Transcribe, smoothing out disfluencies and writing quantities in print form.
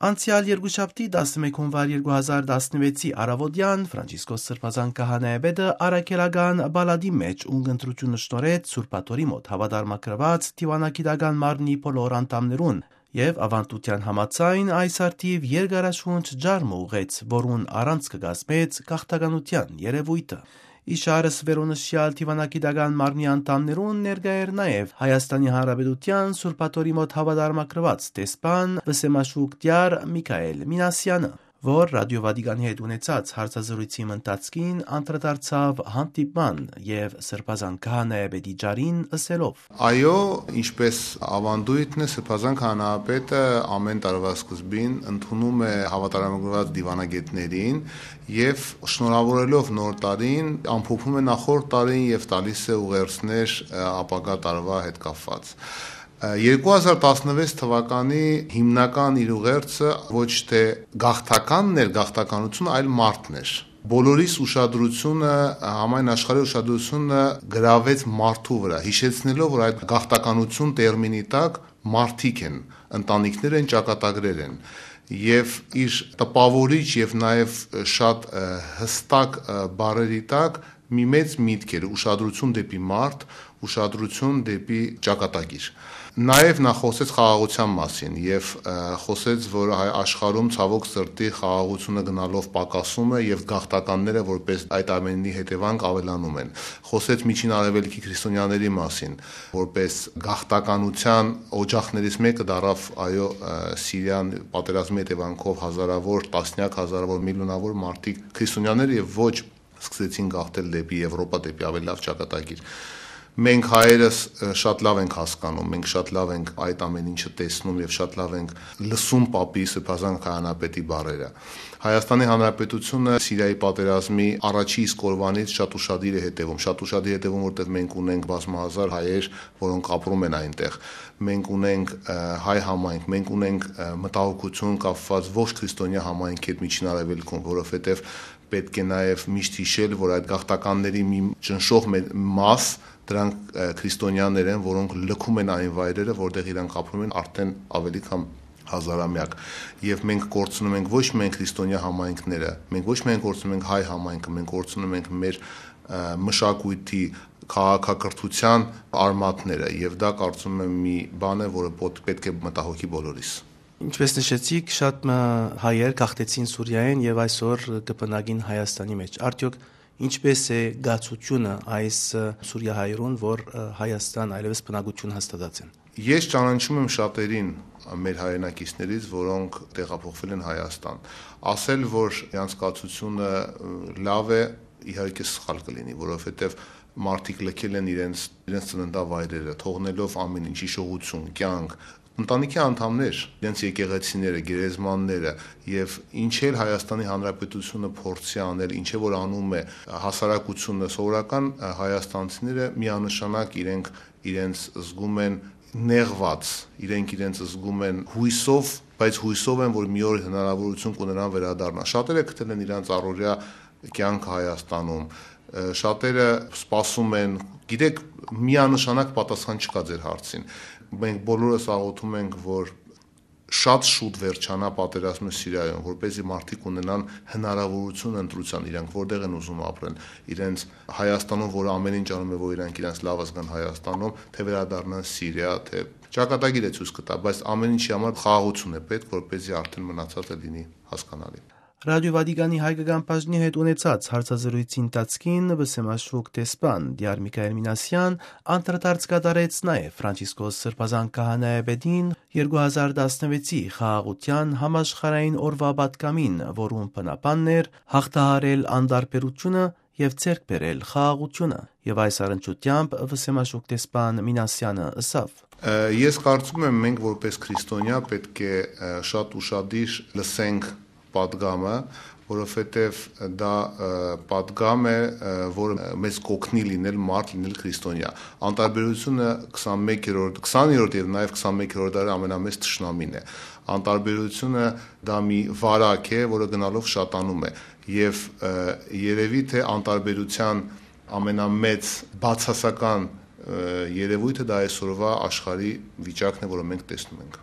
Անցյալ երկուշաբթի 11 հունվար 2016-ի առավոտյան Ֆրանցիսկոս Սրբազան քահանայապետը առաքելական բալադի մեջ ունգընտրությունը շնորհեց Սուրբ մոտ հավատարմագրված դիվանագիտական մարմնի բոլոր անդամներուն եւ ավանդության համաձայն այս արդիվ երկարաշունչ ջարմ ուղեց, որուն առանց կգազմեց գաղթականության երևույթը։ Իշարս վերոնշյալ դիվանագիտական մարմնի անդամներուն ներկա էր նաև Հայաստանի Հանրապետության Սուրբ մոտ հավատարմագրված դեսպան Վսեմաշուկտյար Միքայել Մինասյանը, որ Ռադիո Վատիկանի հետ ունեցած հարցազրույցի ընթացքին անդրադարձավ հանդիպման եւ Սրբազան քահանայապետի ջարին ըսելով. Այո, ինչպես ավանդույթն է, Սրբազան քահանայապետը ամեն տարվա սկզբին ընդունում է հավատարմագրված դիվանագետներին եւ շնորհավորելով նոր տարին ամփոփում է նախորդ տարին եւ տալիս է ուղերձներ ապագա տարվա հետ կապված։ 2016 թվականի հիմնական իր ուղերձը ոչ թե գաղթականն էր, գաղթականությունը, այլ մարդն էր։ Բոլորիս ուշադրությունը, համայն աշխարհի ուշադրությունը գրավեց մարդու վրա, հիշեցնելով, որ այդ գաղթականություն տերմինի տակ մարդիկ են, ընտանիքներ են, ճակատագրեր են։ Եվ իր տպավորիչ եւ նաեւ շատ հստակ բառերի տակ մի մեծ միտք էր, ուշադրություն դեպի մարդ, ուշադրություն դեպի ճակատագիր։ Նաև նա խոսեց խաղաղության մասին եւ խոսեց, որ աշխարհում ցավոք սրտի խաղաղությունը գնալով պակասում է եւ գաղթականները որպես այդ ամենի հետևանք ավելանում են։ Խոսեց Միջին Արևելքի քրիստոնյաների մասին, որպես գաղթականության օջախներից մեկը դարավ այո Սիրիան պատերազմի հետևանքով հազարավոր, տասնյակ հազարավոր, միլիոնավոր մարդիկ քրիստոնյաներ եւ ոչ սկսեցին գաղթել դեպի Եվրոպա, դեպի ավելի լավ ճակատագիր։ Մենք հայերս շատ լավ ենք հասկանում, մենք շատ լավ ենք այդ ամեն ինչը տեսնում եւ շատ լավ ենք լսում Պապի Սրբազան քահանայապետի բառերը։ Հայաստանի Հանրապետությունը Սիրիայի պատերազմի առաջի իսկ օրվանից շատ ուշադիր է հետևում, որտեղ մենք ունենք բազմահազար հայեր, որոնք ապրում են այնտեղ։ Մենք ունենք հայ համայնք, մենք ունենք մտահոգություն կապված ողջ քրիստոնյա համայնքի հետ Միջին Արևելքում, որովհետեւ պետք է նաեւ միշտ հիշել, որ այդ գաղթականների մի ճնշող մաս դրանք քրիստոնյաներ են, որոնք լքում են այն վայրերը, որտեղ իրանք ապրում են արդեն ավելի քան հազարամյակ։ Եվ մենք կորցնում ենք ոչ միայն քրիստոնյա համայնքները, մենք ոչ միայն կորցնում ենք հայ համայնքը, մենք կորցնում ենք մեր մշակույթի, քաղաքակրթության արմատները, եւ դա կարծում եմ մի բան է, որը պետք է մտահոգի բոլորիս։ Ինչպես նշեցիք, շատ հայեր գաղթեցին Սուրիայեն եւ այսօր կբնակին Հայաստանի մեջ։ Արդյոք ինչպես է գացությունը այս սուրիահայերուն, որ Հայաստան այլևս բնակություն հաստատած են։ Ես ճանաչում եմ շատերին մեր հայրենակիցներից, որոնք տեղափոխվել են Հայաստան։ Ասել, որ իրանց կացությունը լավ է, իհարկե սխալ կլինի, որովհետև մարդիկ լքել են իրենց ծննդավայրերը, թողնելով ամեն ինչ, հիշողություն, կյանք, ընտանիքի անդամներ, իրենց եկեղեցիները, գերեզմանները եւ ինչ էլ Հայաստանի Հանրապետությունը փորձի անել, ինչ որ անում է հասարակությունը, սովորական հայաստանցիները միանշանակ իրենց զգում են նեղված, իրենց զգում են հույսով, բայց հույսով են, որ մի օր հնարավորություն կունենան վերադառնալ։ Շատերը գտել են իրենց առօրյա կյանքը Հայաստանում, շատերը սպասում են, գիտեք, միանշանակ պատասխան չկա ձեր հարցին։ Մենք բոլորս աղոթում ենք, որ շատ շուտ վերջանա պատերազմը Սիրիայում, որպեսզի մարդիկ ունենան հնարավորություն ընտրության, իրանք որտեղ են ուզում ապրեն, իրենց Հայաստանում, որ ամեն ինչ անում է, որ իրանք իրենց լավը զգան Հայաստանում, թե վերադառնան Սիրիա, թե ճակատագիր է ցույց կտա, բայց ամեն ինչի համար խաղաղություն է պետք, որպեսզի արդեն մնացածը լինի հասկանալի։ Ռադիո Վատիկանի հայկական բաժնի հետ ունեցած հարցազրույցի ընթացքին Վսեմաշուկ դեսպան Դիար Միքայել Մինասյան անդրադարձ կատարեց նաև Ֆրանցիսկոս Սրբազան քահանայապետին 2016-ի խաղաղության համաշխարհային օրվա պատգամին, որում բնաբանն էր հաղթահարել անտարբերությունը եւ ձեռք բերել խաղաղությունը, եւ այս առընչությամբ Վսեմաշուկ դեսպան Մինասյանը ասավ. Ես կարծում եմ, մենք որպես քրիստոնյա պետք է շատ ուշադիր լսենք պատգամը, որովհետև դա պատգամ է, որը մեզ կօգնի լինել մարդ, լինել քրիստոնյա։ Անտարբերությունը 20-րդ եւ նաեւ 21-րդ դարի ամենամեծ թշնամին է։ Անտարբերությունը դա մի վարակ է, որը գնալով շատանում է, եւ երևի թե անտարբերության ամենամեծ բացասական երևույթը դա այսօրվա աշխարհի վիճակն է, որը մենք տեսնում ենք։